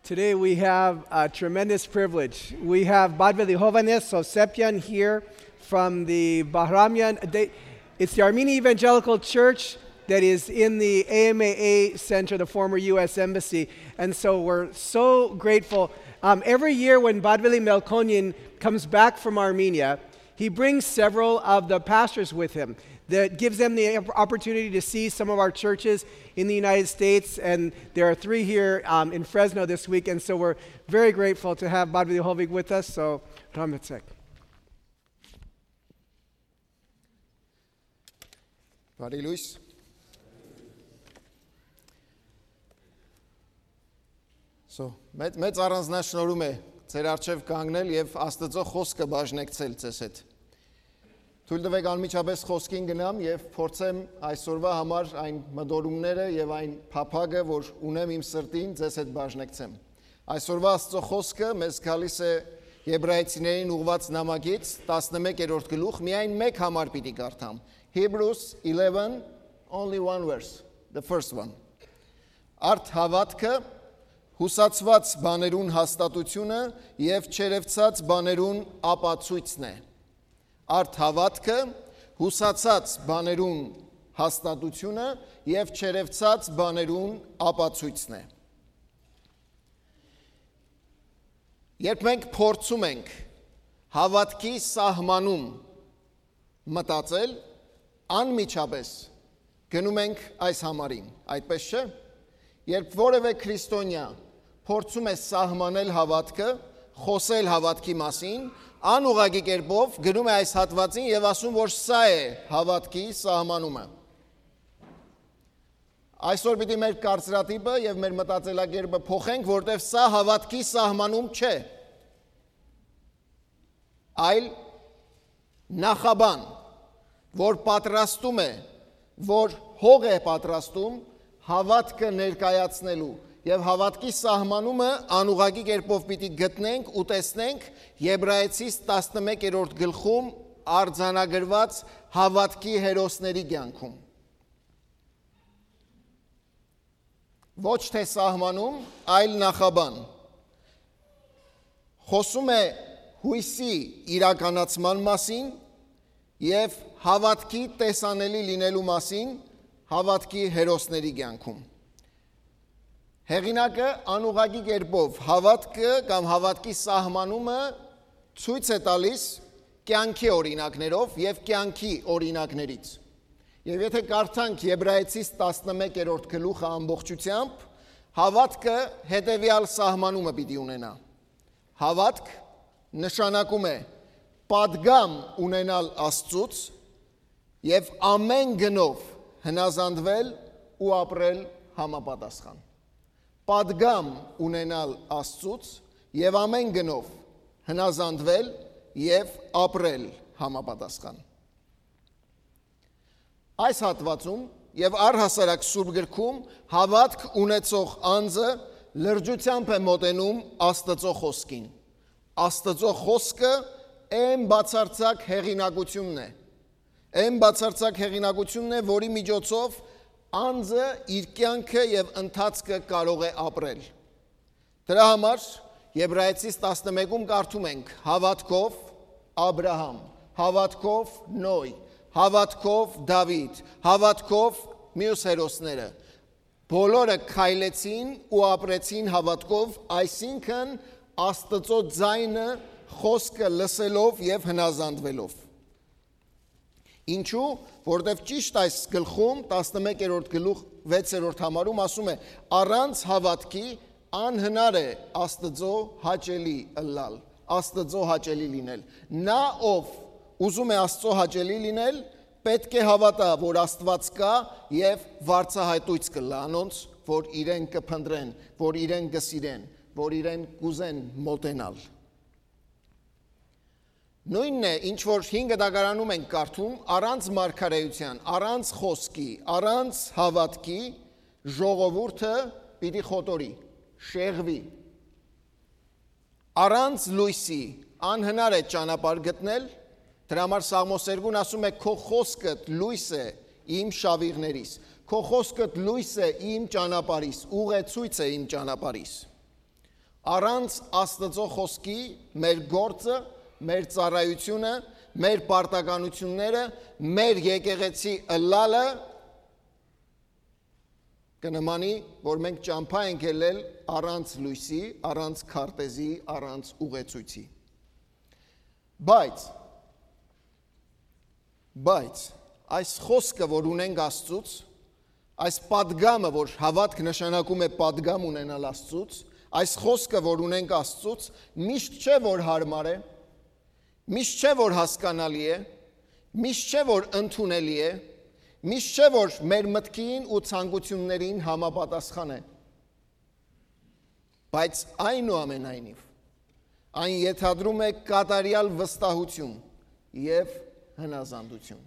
Today we have a tremendous privilege. We have Badveli Hovanes Osepian here from the Bahramian. It's the Armenian Evangelical Church that is in the AMAA Center, the former U.S. Embassy. And so we're so grateful. Every year when Badveli Melkonyan comes back from Armenia, he brings several of the pastors with him. That gives them the opportunity to see some of our churches in the United States, and there are 3 here in Fresno this week, and so we're very grateful to have Badveli Hovig with us. So, Ramitsek. Բարի լույս։ Մեծ առանձնաշնորհում է ձեր առջև կանգնել եւ Աստծո խոսքը բաժնեկցել ձեզ հետ։ Թույլ տվեք անմիջապես խոսքին գնամ եւ փորձեմ այսօրվա համար այն մտորումները եւ այն փափագը, որ ունեմ իմ սրտին, ձեզ հետ բաժնեկցեմ։ Այսօրվա Աստծո խոսքը մեզ գալիս է Եբրայեցիներին ուղված նամակից 11-րդ գլուխ, միայն մեկ համար պիտի կարդամ։ Hebrews 11, only one verse, the first one. Արդ հավատքը հուսացված բաներուն հաստատությունը եւ չերևցած բաներուն ապացույցն է։ Արդ հավատքը հուսացած բաներուն հաստատությունը եւ չերևցած բաներուն ապացույցն է։ Երբ մենք փորձում ենք հավատքի սահմանում մտածել, անմիջապես գնում ենք այս համարին, այդպես չէ։ Երբ որևէ քրիստոնյա փորձում է սահմանել հավատքը, խոսել հավատքի մասին, անուղղակի կերպով գնում է այս հատվածին եւ ասում, որ սա է հավատքի սահմանումը։ Այսօր պիտի մեր կարծրատիպը եւ մեր մտածելակերպը փոխենք, որտեղ սա հավատքի սահմանում չէ, այլ նախաբան, որ պատրաստում է, որ հող է պատրաստում հավատքը ներկայացնելու եւ հավատքի սահմանումը անուղղակի կերպով պիտի գտնենք ու տեսնենք Եբրայեցիս 11-րդ գլխում արձանագրված հավատքի հերոսների կյանքում։ Ոչ թե սահմանում, այլ նախաբան։ Խոսում է հույսի իրականացման մասին եւ հավատքի տեսանելի լինելու մասին հավատքի հերոսների կյանքում։ Հեղինակը անուղղակի կերպով հավատքը կամ հավատքի սահմանումը ցույց է տալիս կյանքի օրինակներով եւ կյանքի օրինակներից։ Եվ եթե կարդանք Եբրայեցիս 11-րդ գլուխը ամբողջությամբ, հավատքը հետեւյալ սահմանումը պիտի ունենա։ Հավատք նշանակում է պատգամ ունենալ Աստծուց եւ ամեն գնով հնազանդվել ու ապրել համապատասխան։ Պատգամ ունենալ Աստծուց եւ ամեն գնով հնազանդվել եւ ապրել համապատասխան։ Այս հատվածում եւ առհասարակ Սուրբ գրքում հավատք ունեցող անձը լրջությամբ է մոտենում Աստծո խոսքին։ Աստծո խոսքը այն բացարձակ հեղինակությունն է։ Այն բացարձակ հեղինակությունն է, որի միջոցով անձը իր կյանքը եւ ընթացքը կարող է ապրել։ Դրա համար Եբրայեցիս 11-ում կարդում ենք հավատքով Աբրահամ, հավատքով Նոյ, հավատքով Դավիթ, հավատքով մյուս հերոսները։ Բոլորը քայլեցին ու ապրեցին հավատքով, այսինքն Աստծո ձայնը խոսքը լսելով եւ հնազանդվելով։ Ինչու, որտեվ ճիշտ այս գլխում 11-րդ գլուխ 6-րդ համարում ասում է առանց հավատքի անհնար է Աստծո հաճելի ըլլալ, Աստծո հաճելի լինել։ Նա ով ուզում է Աստծո հաճելի լինել, պետք է հավատա, որ Աստված կա եւ վարձահայտույց կլա անոնց, որ իրեն կփնտրեն, որ իրեն կսիրեն, որ իրեն կուզեն մոտենալ։ Նույնն է, ինչ որ 5 դագարանում ենք կարդում, առանց մարգարեության, առանց խոսքի, առանց հավատքի ժողովուրդը պիտի խոտորի, շեղվի։ Առանց լույսի անհնար է ճանապարհ գտնել, դրա համար Սաղմոս 2-ն ասում է քո խոսքդ լույս է իմ շավիղներիս, քո խոսքդ լույս է իմ ճանապարհիս, ուղեցույց է իմ ճանապարհիս։ Առանց Աստծո խոսքի մեր գործը, մեր ծառայությունը, մեր պարտականությունները, մեր եկեղեցի ըլլալը կնմանի, որ մենք ճամփա ենք ելել առանց լույսի, առանց քարտեզի, առանց ուղեցույցի։ Բայց այս խոսքը, որ ունենք Աստծուց, այս պատգամը, որ հավատք նշանակում է պատգամ ունենալ Աստծուց, այս խոսքը, որ ունենք Աստծուց, միշտ չէ, որ հարմար է, միշտ չէ, որ հասկանալի է, միշտ չէ, որ ընդունելի է, միշտ չէ, որ մեր մտքին ու ցանկություններին համապատասխան է։ Բայց այնուամենայնիվ, այն ենթադրում է կատարյալ վստահություն և հնազանդություն։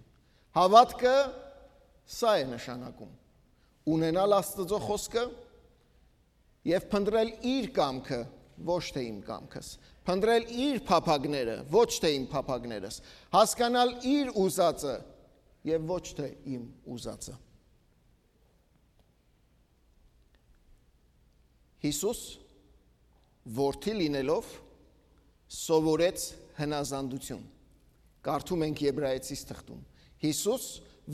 Հավատքը սա է նշանակում. ունենալ Աստծո խոսքը և փնտրել իր կամքը, ոչ թե իմ կամքս, փնտրել իր փափագները, ոչ թե իմ փափագներս, հասկանալ իր ուզածը և ոչ թե իմ ուզածը։ Հիսուս որդի լինելով սովորեց հնազանդություն։ Կարդում ենք Եբրայեցիս թղթում։ Հիսուս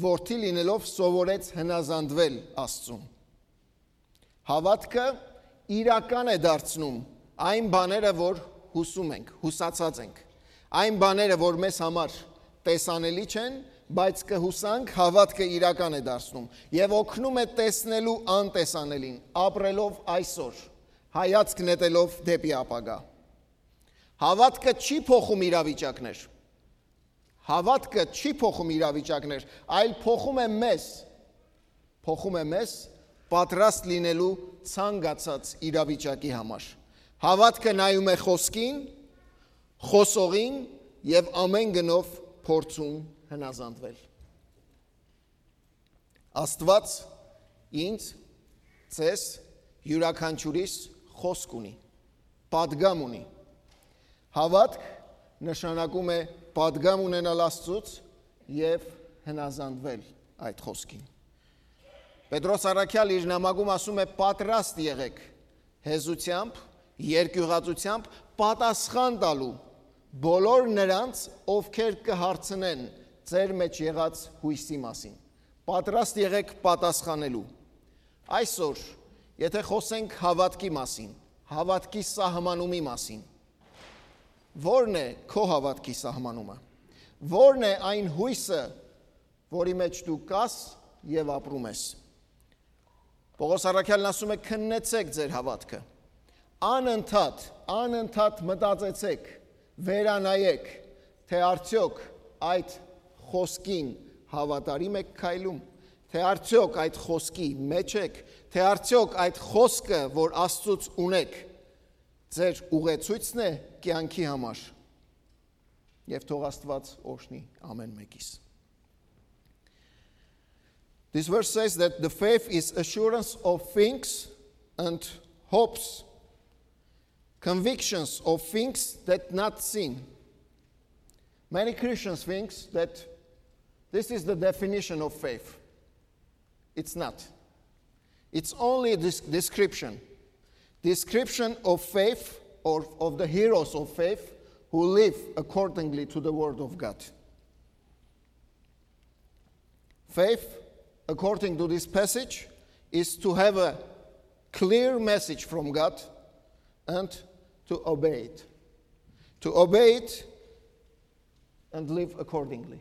որդի լինելով սովորեց հնազանդվել Աստծուն։ Հավատքը իրական է դարձնում այն բաները, որ հուսում ենք, հուսացած ենք։ Այն բաները, որ մեզ համար տեսանելի չեն, բայց կհուսանք, հավատքը իրական է դարձնում և օգնում է տեսնելու անտեսանելին, ապրելով այսօր, հայացք նետելով դեպի ապագա։ Հավատքը չի փոխում իրավիճակներ, հավատքը չի փոխում իրավիճակներ, այլ փոխում է մեզ պատրաստ լինելու ցանկացած իրավիճակի համար։ Հավատքը նայում է խոսքին, խոսողին և ամեն գնով փորձում հնազանդվել։ Աստված ինձ, ձեզ, յուրաքանչյուրիս խոսք ունի, պատգամ ունի։ Հավատք նշանակում է պատգամ ունենալ Աստծուց և հնազանդվել այդ խոսքին։ Պետրոս առաքյալ իր նամակում ասում է պատրաստ եղեք հեզությամբ, երկյուղածությամբ պատասխան տալու բոլոր նրանց, ովքեր կհարցնեն ձեր մեջ եղած հույսի մասին։ Պատրաստ եղեք պատասխանելու։ Այսօր, եթե խոսենք հավատքի մասին, հավատքի սահմանումի մասին, որն է քո հավատքի սահմանումը, որն է այն հույսը, որի մեջ դու կաս և ապրում ես։ Պողոս առաքյալն ասում է քննեցեք ձեր հավատքը, անընդհատ մտածեցեք, վերանայեք, թե արդյոք այդ խոսքին հավատարիմ եք քայլում, թե արդյոք այդ խոսքի մեջ եք, թե արդյոք այդ խոսքը, որ Աստծուց ունեք, ձեր ուղեցույցն է կյանքի համար, և թող Աստված օրհնի ամեն մեկիս։ This verse says that the faith is assurance of things and hopes, convictions of things that not seen. Many Christians think that this is the definition of faith. It's not. It's only a description of faith or of the heroes of faith who live accordingly to the word of God. Faith, according to this passage, is to have a clear message from God and to obey it. To obey it and live accordingly.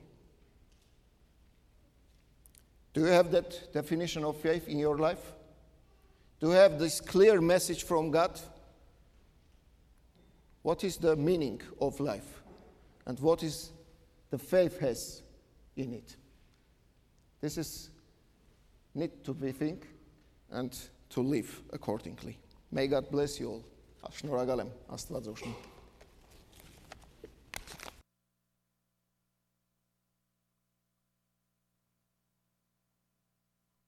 Do you have that definition of faith in your life? Do you have this clear message from God? What is the meaning of life? And what is the faith has in it? This is need to be think and to live accordingly. May God bless you all. Շնորհակալ եմ, Աստված օրհնի։